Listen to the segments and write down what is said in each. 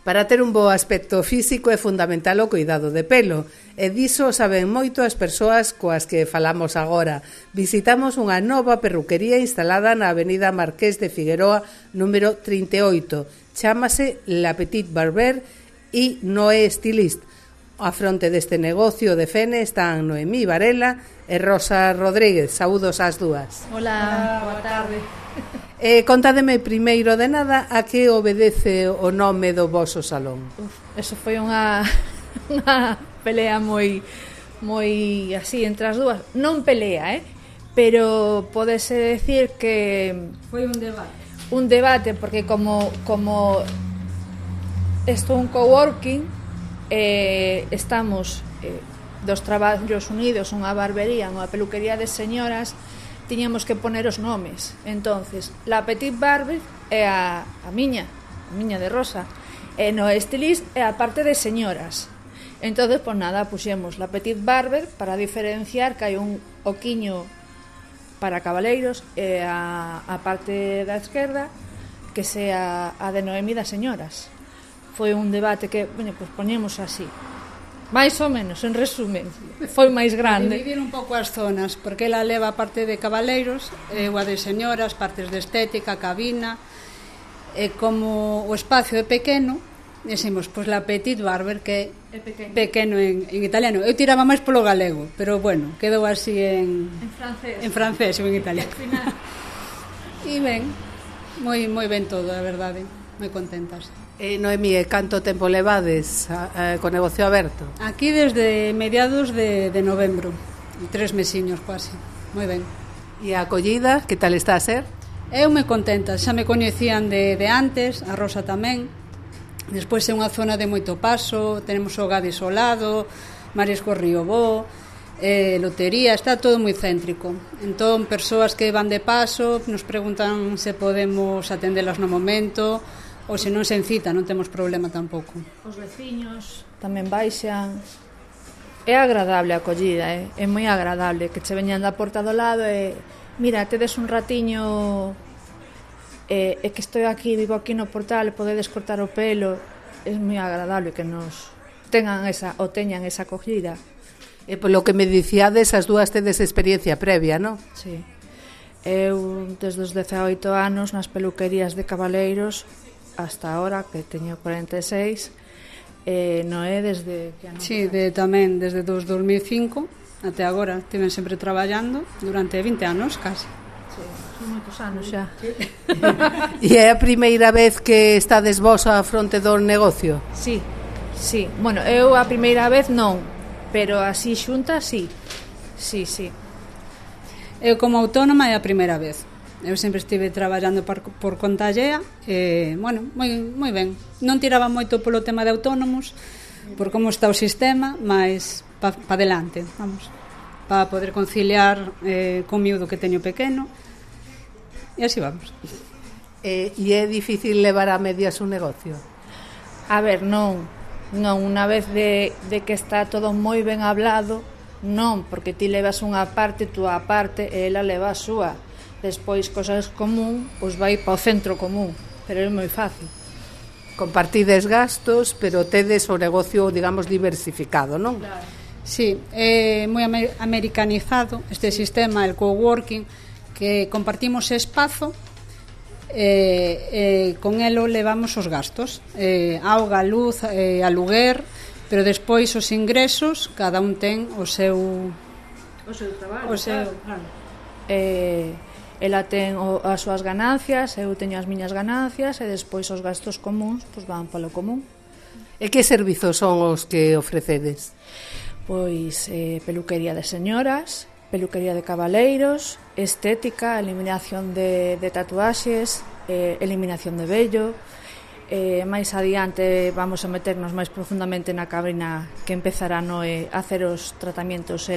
Para ter un bo aspecto físico é fundamental o cuidado de pelo, e diso saben moito as persoas coas que falamos agora. Visitamos unha nova perruquería instalada na avenida Marqués de Figueroa, número 38. Chámase La Petite Barber e Noé Stylist. A fronte deste negocio de Fene están Noemí Varela e Rosa Rodríguez. Saúdos ás dúas. Hola, boa tarde. Contádeme primeiro de nada a que obedece o nome do voso salón. Eso foi unha pelea moi así entre as dúas. Non pelea, pero podese decir que foi un debate. Un debate porque como isto é un coworking, estamos dos traballos unidos, unha barbería, unha peluquería de señoras, tiñamos que poner os nomes. Entonces, La Petite Barber é a miña de Rosa, e Noé Stylist é a parte de señoras. Entonces, pues nada, puxemos La Petite Barber para diferenciar que hai un oquiño para cabaleiros e a parte da esquerda que sea a de Noemi das señoras. Foi un debate que, pues poñemos así. Mais ou menos, en resumen, foi máis grande. Dividir un pouco as zonas, porque ela leva a parte de cabaleiros, ou a de señoras, partes de estética, cabina, e como o espacio é pequeno, decimos, pois La Petite Barber, que é pequeno en italiano. Eu tiraba máis polo galego, pero bueno, quedou así en francés ou en italiano. E ben, moi ben todo, a verdade, moi contentas. Noemí, canto tempo levades co negocio aberto? Aquí desde mediados de novembro, 3 mesiños quase, moi ben. E a acollida, que tal está a ser? Eu me contenta, xa me coñecían de antes, a Rosa tamén. Despois é unha zona de moito paso, tenemos o Gades ao lado, Marisco Río Bo, lotería, está todo moi céntrico. Entón, persoas que van de paso nos preguntan se podemos atendelas no momento, ou se non se encita, non temos problema tampouco. Os veciños tamén baixan. É agradable a acollida, é moi agradable que che veñan da porta do lado e mira, tedes un ratiño e que estou aquí, vivo aquí no portal, podedes cortar o pelo. É moi agradable que nos teñan esa acollida. E polo que me dicíades, as dúas tedes experiencia previa, non? Sí. Eu desde os 18 anos nas peluquerías de cabaleiros hasta ahora, que teño 46, Noé desde que ano? Sí, tamén desde 2005 até agora, estiven sempre traballando durante 20 anos, casi. Sí, son moitos anos xa. E é a primeira vez que estades vos á fronte do negocio? Sí. Bueno, eu a primeira vez non, pero así xunta, sí. Eu como autónoma é a primeira vez. Eu sempre estive traballando por conta allea e, bueno, moi ben. Non tiraba moito polo tema de autónomos, por como está o sistema, mas pa adelante, vamos, para poder conciliar con miúdo que teño pequeno, e así vamos. E é difícil levar a medias un negocio? A ver, non, unha vez de que está todo moi ben hablado, non, porque ti levas unha parte, tú a parte, e ela leva a súa. Despois, cosas común, pois vai para o centro común, pero é moi fácil. Compartides gastos, pero tedes o negocio, digamos, diversificado, non? Claro. Sí, é moi americanizado este sistema, el coworking, que compartimos espazo, con elo levamos os gastos, auga, luz, aluguer, pero despois os ingresos, cada un ten o seu traballo, claro. Ela ten as súas ganancias, eu teño as miñas ganancias e despois os gastos comuns pois van polo común. E que servizos son os que ofrecedes? Pois peluquería de señoras, peluquería de cabaleiros, estética, eliminación de tatuaxes, eliminación de vello. Máis adiante vamos a meternos máis profundamente na cabina que empezará a hacer os tratamientos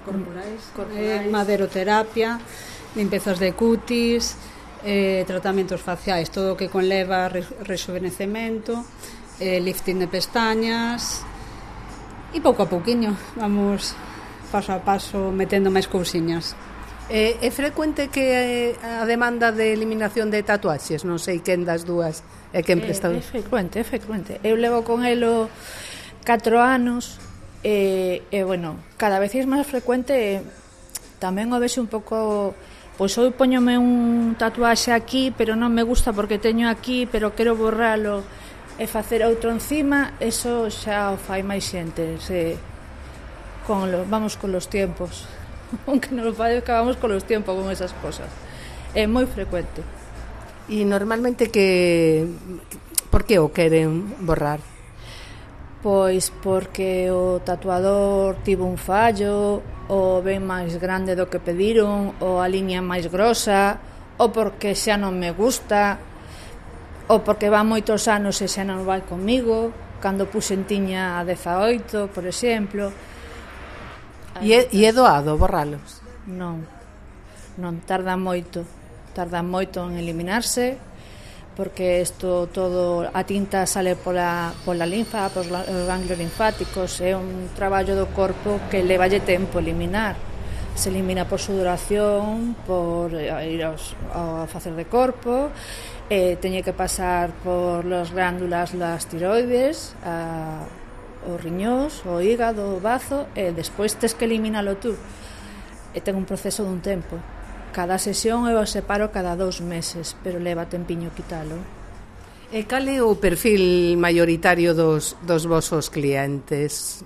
corporais, maderoterapia, limpezas de cutis, tratamentos faciais, todo o que conleva rejuvenecemento, lifting de pestañas, e pouco a pouquiño vamos paso a paso metendo máis cousiñas. É frecuente que a demanda de eliminación de tatuaxes? Non sei quen das dúas é quen presta. É frecuente. Eu levo con elo 4 anos e, bueno, cada vez é máis frecuente. Tamén o vexo un pouco... Pois eu poñome un tatuaxe aquí, pero non me gusta porque teño aquí, pero quero borralo e facer outro encima. Eso xa o fai máis xente. Vamos con los tiempos. Aunque non parezca, vamos con los tiempos con esas cosas. É moi frecuente. E normalmente por que o queren borrar? Pois porque o tatuador tivo un fallo, ou ven máis grande do que pediron, ou a liña máis grosa, ou porque xa non me gusta, ou porque van moitos anos e xa non vai comigo, cando puxen tiña a 18, por exemplo. E é doado borralos? Non, tarda moito en eliminarse, porque isto todo, a tinta sale pola linfa, polos ganglios linfáticos, é un traballo do corpo que levalle tempo eliminar. Se elimina por sudoración, por ir ao facer de corpo, teñe que pasar por las glándulas, las tiroides, os riñóns, o hígado, o bazo, e despois tes que eliminalo tú. E ten un proceso dun tempo. Cada sesión eu o separo cada 2 meses, pero leva tempiño quitalo. E cal é o perfil maioritario dos vosos clientes?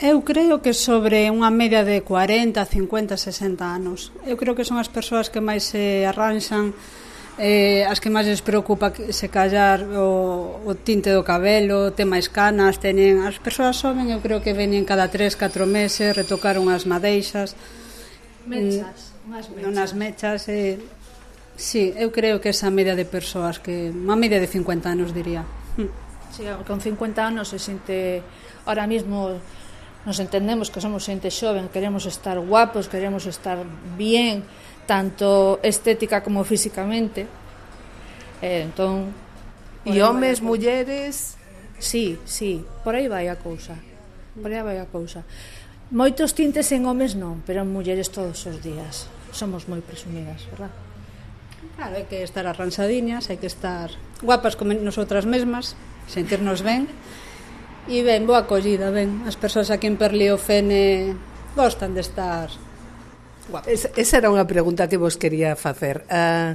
Eu creo que sobre unha media de 40, 50, 60 anos. Eu creo que son as persoas que máis se arranxan, as que máis les preocupa se callar o tinte do cabelo, ten máis canas, teñen... As persoas soben, eu creo que veñen cada 3, 4 meses, retocar unhas madeixas. Unhas mechas. Sí, eu creo que esa media de persoas, que unha media de 50 anos, diría. Sí, con 50 anos se xente... Ahora mismo nos entendemos que somos xente xoven, queremos estar guapos, queremos estar bien, tanto estética como físicamente. Entón... E homes, mulleres... Sí, por aí vai a cousa. Moitos tintes en homes non, pero en mulleres todos os días. Somos moi presumidas, verdad? Claro, hai que estar arranxadiñas, hai que estar guapas como nosotras mesmas, sentirnos ben. E ben, boa acollida, ben. As persoas aquí en Perliofene gostan de estar guapas. Esa era unha pregunta que vos quería facer. A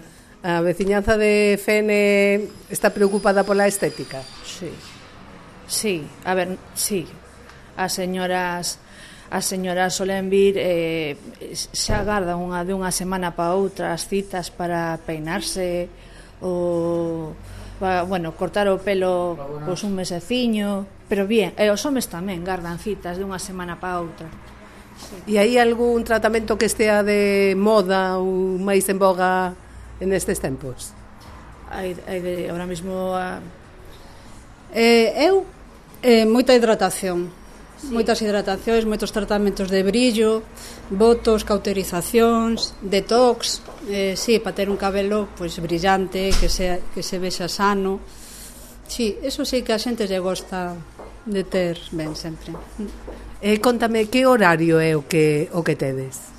veciñanza de Fene está preocupada pola estética? Sí, a ver, sí. As señoras solen vir, xa agardan dunha semana para outra as citas para peinarse ou, bueno, cortar o pelo pois un meseciño, pero bien, e os homes tamén gardan citas dunha semana para outra. E hai algún tratamento que estea de moda ou máis en boga en estes tempos? Ahora mismo moita hidratación. Moitas hidratacións, moitos tratamentos de brillo, botos, cauterizacións, detox, sí, para ter un cabelo pois brillante, que se vexa sano. Sí, eso sí que a xente lle gosta de ter ben sempre. Contame, que horario é o que tedes?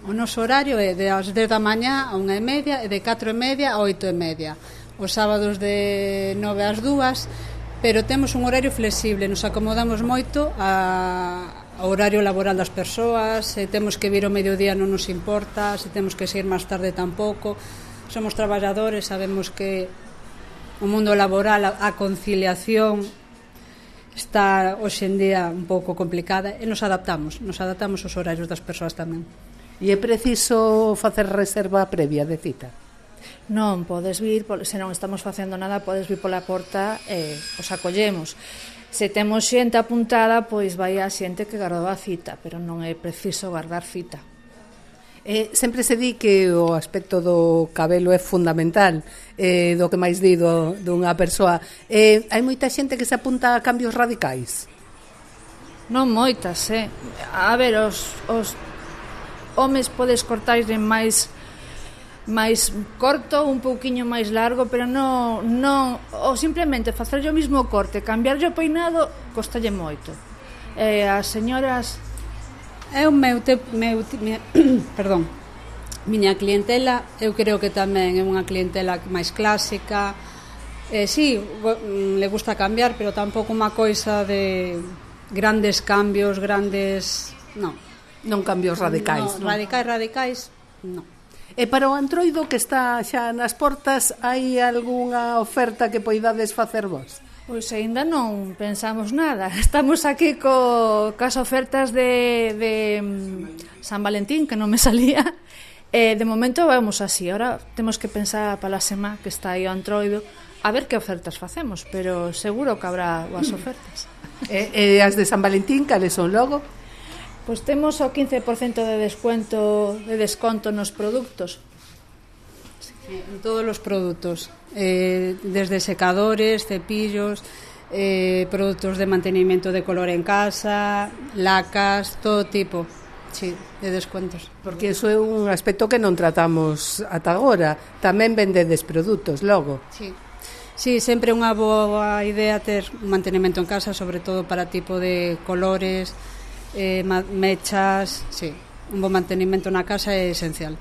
O noso horario é de as 10 da mañá a 1:30 e de 4:30 a 8:30. Os sábados de 9 ás 2, pero temos un horario flexible, nos acomodamos moito ao horario laboral das persoas. Se temos que vir ao mediodía non nos importa, se temos que seguir máis tarde tampouco. Somos traballadores, sabemos que o mundo laboral, a conciliación está hoxe en día un pouco complicada e nos adaptamos aos horarios das persoas tamén. E é preciso facer reserva previa de cita? Non, podes vir, se non estamos facendo nada, podes vir pola porta e os acollemos. Se temos xente apuntada, pois vai a xente que gardou a cita, pero non é preciso guardar cita. Sempre se di que o aspecto do cabelo é fundamental, do que máis di dunha persoa. Hai moita xente que se apunta a cambios radicais? Non moitas, A ver, os homes podes cortar máis corto, un pouquiño máis largo, pero non, ou simplemente facer o mismo corte, cambiarlle o peinado, costalle moito. As señoras... É o meu perdón. Miña clientela, eu creo que tamén é unha clientela máis clásica. Sí, le gusta cambiar, pero tampouco unha coisa de grandes cambios, grandes... Non cambios radicais. No, radicais, non. E para o Antroido que está xa nas portas, hai algunha oferta que poidades facer vos? Pois aínda non pensamos nada. Estamos aquí cas ofertas de San Valentín, que non me salía. De momento vamos así. Ahora temos que pensar para a semana que está aí o Antroido a ver que ofertas facemos, pero seguro que habrá as ofertas. E as de San Valentín, cales son logo? Pois temos o 15% de desconto nos produtos. En todos os produtos, desde secadores, cepillos, produtos de mantenimiento de color en casa, lacas, todo tipo, sí, de descuentos. Porque iso é un aspecto que non tratamos ata agora. Tamén vendedes produtos logo. Sí, sempre unha boa idea ter un mantenimento en casa, sobre todo para tipo de colores, mechas, sí, un bon mantenimento na casa é esencial.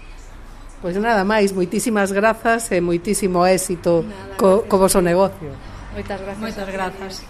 Pois nada máis, moitísimas grazas e moitísimo éxito co voso negocio. Moitas grazas.